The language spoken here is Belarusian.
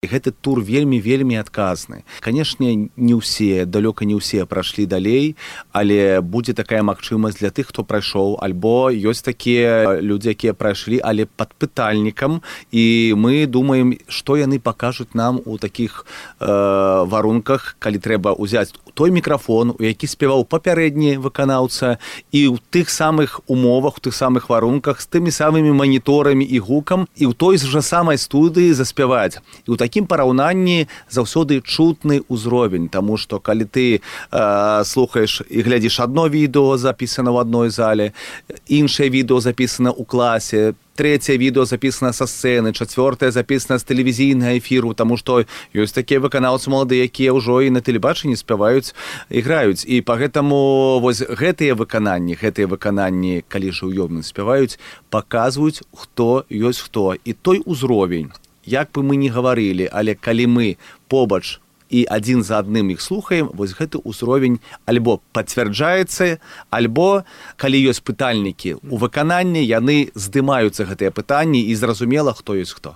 гэты тур вельмі адказны. Канешне, не ўсе, далёка не ўсе прайшлі далей, але будзе такая магчымасць для тых, хто прайшоў, альбо ёсць такія людзі, якія прайшлі, але пад пытальнікам, і мы думаем, што яны пакажуць нам у такіх варунках, калі трэба ўзяць той мікрафон, у які спяваў папярэдні выканаўца, і ў тых самых умовах, у тых самых варунках, з тымі самымі маніторамі і гукам, і ў той жа самай студыі заспяваць. І ў такім параўнанні заўсёды чутны ўзровень, таму што калі ты слухаеш і глядзіш адно відэо, запісана ў адной зале, іншае відэо запісана ў класе, трэцяе відэо запісана са сцэны, чацвёртае запісана з тэлевізійнага эфіру, таму што ёсць такія выканаўцы маладыя, якія ўжо і на тэлебачанні спяваюць і граюць. І пагэтаму вось гэтыя выкананні, калі жыўёмна спяваюць, паказваюць, хто ёсць хто. І той узровень, як бы мы ні гаварылі, але калі мы побач і адзін за адным іх слухаем, вось гэты ўзровень альбо пацвярджаецца, альбо, калі ёсць пытальнікі у выкананні, яны здымаюцца гэтыя пытанні і зразумела, хто ёсць хто.